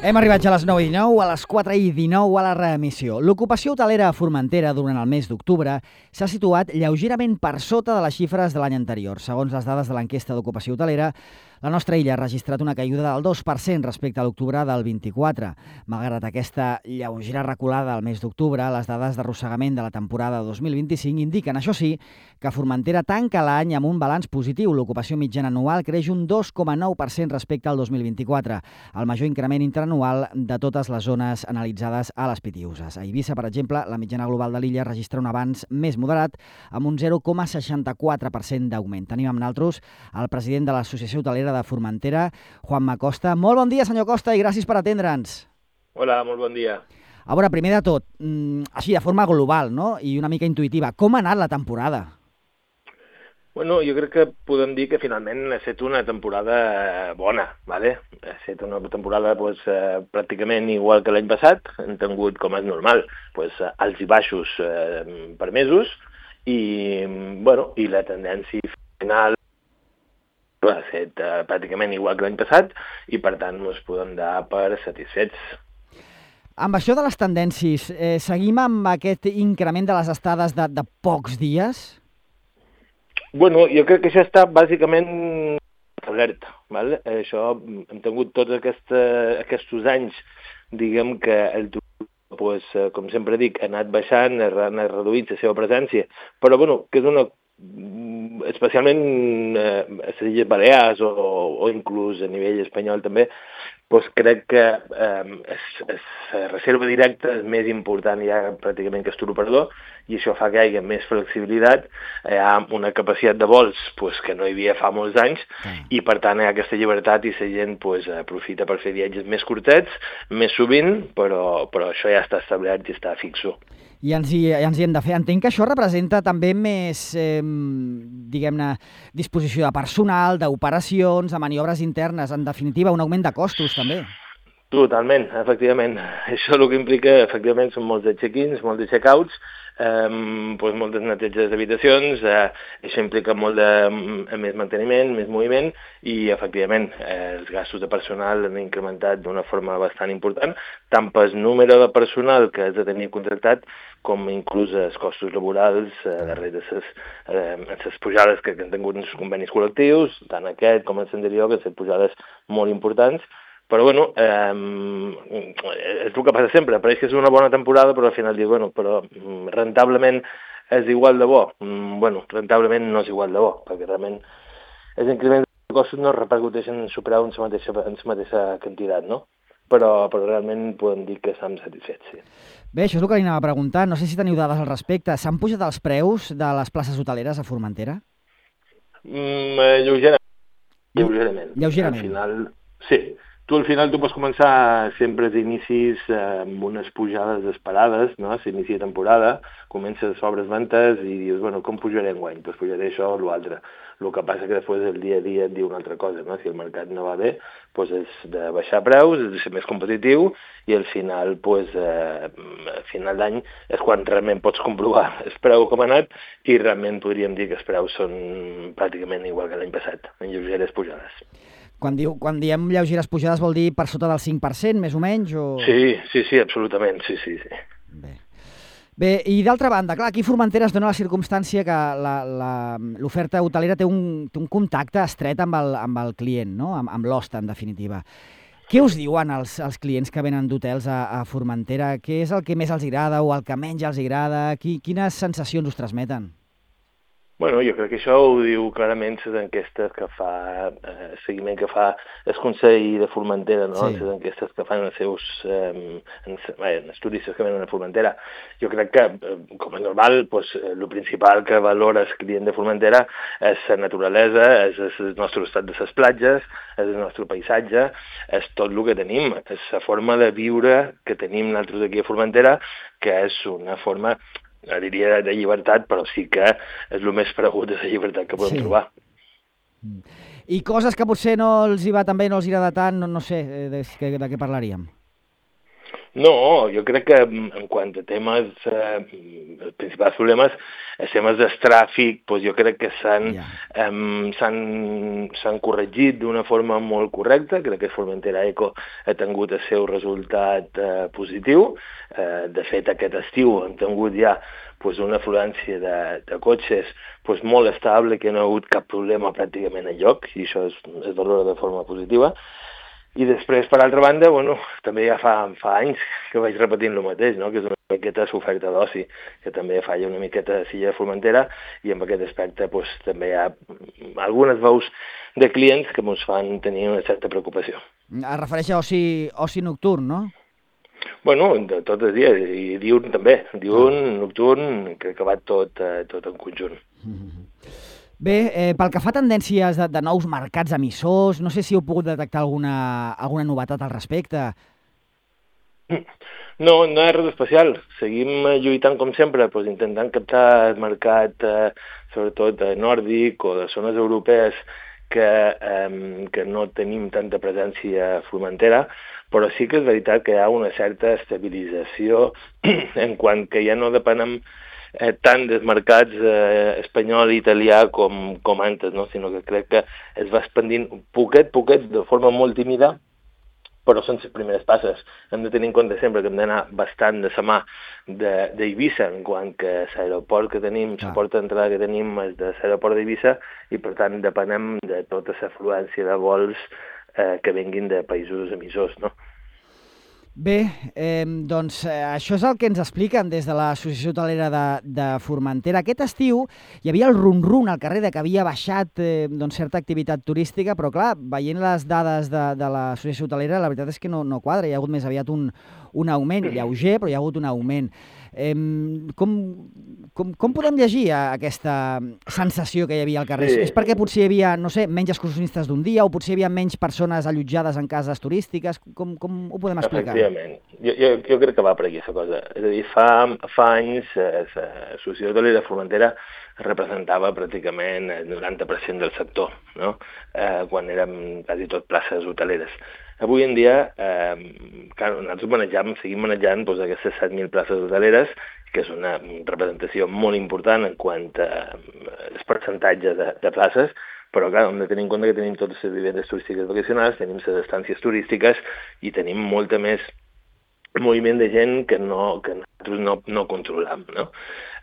Hem arribat ja a les 9:19, a les 4:19 a la reemissió. L'ocupació hotelera a Formentera durant el mes d'octubre s'ha situat lleugerament per sota de les xifres de l'any anterior. Segons les dades de l'enquesta d'ocupació hotelera, la nostra illa ha registrat una caiguda del 2% respecte a l'octubre del 24. Malgrat aquesta lleugera reculada al mes d'octubre, les dades d'arrossegament de la temporada 2025 indiquen, això sí, que Formentera tanca l'any amb un balanç positiu. L'ocupació mitjana anual creix un 2,9% respecte al 2024, el major increment interanual de totes les zones analitzades a les Pitiüses. A Eivissa, per exemple, la mitjana global de l'illa registra un avanç més moderat amb un 0,64% d'augment. Tenim amb nosaltres el president de l'Associació Hotelera de Formentera, Juanma Costa. Molt bon dia, senyor Costa, i gràcies per atendre'ns. Hola, molt bon dia. A veure, primer de tot, així de forma global, no?, i una mica intuïtiva, com ha anat la temporada? Bueno, jo crec que podem dir que finalment ha estat una temporada bona, ¿vale? Ha estat una temporada pràcticament igual que l'any passat, hem tingut, com és normal, alts i baixos per mesos, i la tendència final ha estat pràcticament igual que l'any passat, i per tant ens podem dar per satisfets. Amb això de les tendències, seguim amb aquest increment de les estades de pocs dies? Bueno, jo crec que això està bàsicament establert, ¿vale? Això hem tingut tots aquests anys, diguem que el turisme, com sempre dic, ha anat baixant, ha anat reduint la seva presència, però bueno, que és una especialment a les Illes Balears o inclús a nivell espanyol també, crec que la reserva directa és més important ja pràcticament que el turoperador, i això fa que hi hagi més flexibilitat, hi ha una capacitat de vols que no hi havia fa molts anys, i per tant hi ha aquesta llibertat i la gent aprofita per fer viatges més curtets, més sovint, però això ja està establert i està fixo. I ens hi hem de fer. Entenc que això representa també més, diguem-ne, disposició de personal, d'operacions, de maniobres internes, en definitiva, un augment de costos també. Totalment, efectivament. Això el que implica, efectivament, són molts de check-ins, molts de check-outs, moltes neteges d'habitacions, això implica molt de més manteniment, més moviment, i efectivament els gastos de personal han incrementat d'una forma bastant important, tant pel número de personal que has de tenir contractat, com inclús els costos laborals darrere de les pujades que han tingut els convenis col·lectius, tant aquest com els anteriors, que han estat pujades molt importants. Però bueno, és el que passa sempre, pareix que és una bona temporada, però al final dius, però rentablement és igual de bo. Rentablement no és igual de bo, perquè realment els increments de costos no repercuteixen en superar en la mateixa quantitat, no? Però realment podem dir que estem satisfets, sí. Bé, això és el que li anava a preguntar. No sé si teniu dades al respecte. S'han pujat els preus de les places hoteleres a Formentera? Lleugerament. Lleugerament. Al final, sí. Al final tu pots començar sempre als inicis amb unes pujades esperades, no? S'inicia temporada, comences sobres ventes i dius, com pujaré enguany? Doncs pujaré això o l'altre. El que passa que després el dia a dia et diu una altra cosa, no? Si el mercat no va bé, és de baixar preus, és de ser més competitiu, i al final, a final d'any és quan realment pots comprovar el preu com ha anat, i realment podríem dir que els preus són pràcticament igual que l'any passat, en lleugeres pujades. Quan diem lleugeres pujades vol dir per sota del 5%, més o menys? O... Sí, absolutament, sí. Bé, i d'altra banda, clar, aquí a Formentera es dona la circumstància que l'oferta hotelera té un contacte estret amb el client, no? Amb l'hoste, en definitiva. Què us diuen els clients que venen d'hotels a Formentera? Què és el que més els agrada o el que menys els agrada? Quines sensacions us transmeten? Jo crec que això ho diu clarament les enquestes que fa, el seguiment que fa el Consell de Formentera, no? Sí. Les enquestes que fan els seus els turistes que venen a Formentera. Jo crec que, com és normal, el principal que valora el client de Formentera és la naturalesa, és el nostre estat de les platges, és el nostre paisatge, és tot el que tenim, és la forma de viure que tenim nosaltres aquí a Formentera, que és una forma, diria, de llibertat, però sí que és el més paregut de la llibertat que podem trobar. I coses que potser no els hi va tan bé, no els hi agrada tant, no sé, de què parlaríem? No, jo crec que en quant a temes, els principals problemes, els temes del tràfic, doncs jo crec que s'han corregit d'una forma molt correcta. Crec que Formentera Eco ha tingut el seu resultat positiu. De fet, aquest estiu hem tingut ja una afluència de cotxes molt estable, que no ha hagut cap problema pràcticament enlloc, i això es valora de forma positiva. I després, per altra banda, també ja fa anys que vaig repetint el mateix, no? Que és una miqueta l'oferta d'oci, que també falla una miqueta a Silla de Formentera, i en aquest aspecte també hi ha algunes veus de clients que ens fan tenir una certa preocupació. Es refereix a oci nocturn, no? De tot el dia, i diurn també. Diurn, nocturn, crec que va tot en conjunt. Bé, pel que fa a tendències de nous mercats emissors, no sé si heu pogut detectar alguna novetat al respecte. No hi ha res especial. Seguim lluitant com sempre, intentant captar el mercat, sobretot nòrdic o de zones europees que no tenim tanta presència a Formentera, però sí que és veritat que hi ha una certa estabilització en quant que ja no depenem tant dels mercats espanyol i italià com antes, no? Sinó que crec que es va expandint poquet, de forma molt tímida, però són les primeres passes. Hem de tenir en compte sempre que hem d'anar bastant de la mà d'Eivissa, en quant que l'aeroport que tenim, la porta d'entrada que tenim és de l'aeroport d'Eivissa, i per tant depenem de tota l'afluència de vols que venguin de països emissors, no? Bé, doncs això és el que ens expliquen des de l'Associació Hotelera de Formentera. Aquest estiu hi havia el rum-rum al carrer de que havia baixat certa activitat turística, però clar, veient les dades de l'Associació Hotelera, la veritat és que no quadra. Hi ha hagut més aviat un augment, lleuger, però hi ha hagut un augment. Com podem llegir aquesta sensació que hi havia al carrer? Sí. És perquè potser hi havia, no sé, menys excursionistes d'un dia, o potser hi havia menys persones allotjades en cases turístiques? Com ho podem explicar? Efectivament. Jo crec que va per aquí, aquesta cosa. És a dir, fa anys l'Associació Hotelera de Formentera representava pràcticament el 90% del sector, no? Quan érem quasi tot places hoteleres. Avui en dia, nosaltres seguim manejant aquestes 7.000 places hoteleres, que és una representació molt important en quant als percentatges de places, però clar, hem de tenir en compte que tenim totes les vivendes turístiques vacacionals, tenim les estàncies turístiques i tenim molta més moviment de gent que nosaltres no controlam, no?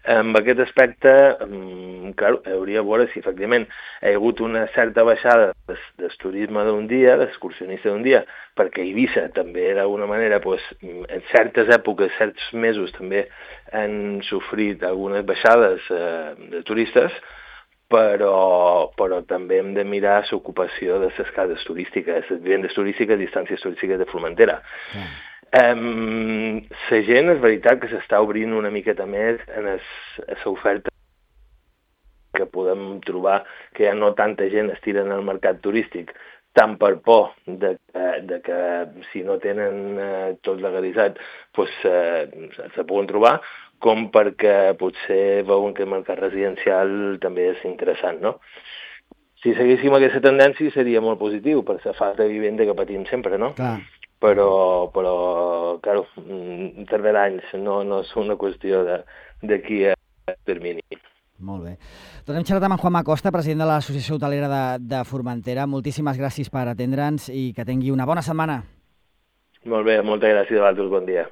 En aquest aspecte, hauria de veure si efectivament hi ha hagut una certa baixada del turisme d'un dia, d'excursionista d'un dia, perquè Eivissa també d'alguna manera, en certes èpoques, certs mesos també han sofrit algunes baixades de turistes, però també hem de mirar l'ocupació de les cases turístiques, les vivendes turístiques i estàncies turístiques de Formentera. La gent és veritat que s'està obrint una miqueta més en l'oferta que podem trobar, que ja no tanta gent estira en el mercat turístic, tant per por de que si no tenen tot legalitzat se poden trobar, com perquè potser veuen que el mercat residencial també és interessant, no? Si seguíssim aquesta tendència seria molt positiu per la falta de vivenda que patim sempre, no? Clar. Però tardarà anys, no és una qüestió d'aquí a termini. Molt bé. Doncs hem xerrat amb en Juanma Costa, president de l'Associació Hotelera de Formentera. Moltíssimes gràcies per atendre'ns i que tingui una bona setmana. Molt bé, moltes gràcies a vosaltres, bon dia.